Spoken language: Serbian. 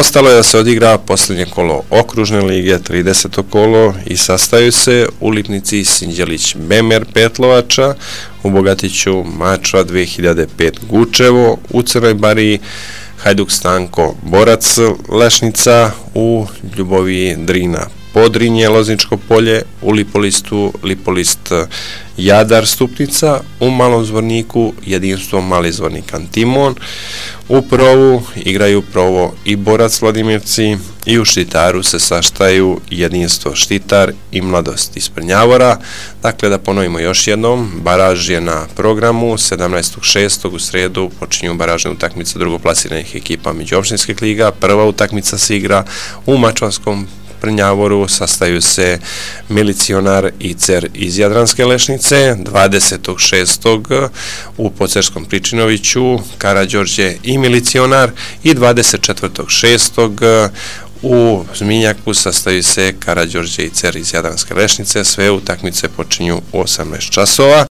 Ostalo je da se odigra posljednje kolo okružne lige, 30. kolo, i sastaju se u Lipnici Sinđelić Bemer Petlovača, u Bogatiću Mačva 2005 Gučevo, u Crnoj Bariji Hajduk Stanko Borac Lešnica, u Ljuboviji Drina Podrinje Lozničko polje, u Lipolistu Lipolist Jadar Stupnica, u Malom Zvorniku Jedinstvo Mali Zvornik Antimon, u Provu igraju Provo i Borac Vladimirci i u Štitaru se saštaju Jedinstvo Štitar i Mladost iz Prnjavora. Dakle, da ponovimo još jednom, baraž je na programu. 17.6. u sredu počinju baražne utakmice drugoplasiranih ekipa međuopštinskih liga. Prva utakmica se igra u Mačvanskom Prnjavoru, sastaju se Milicionar i Cer iz Jadranske Lešnice. 20.6. u Pocerskom Pričinoviću Karađorđe i Milicionar i 24.6. u Zminjaku sastaju se Karađorđe i Cer iz Jadranske Lešnice. Sve utakmice počinju u 18 časova.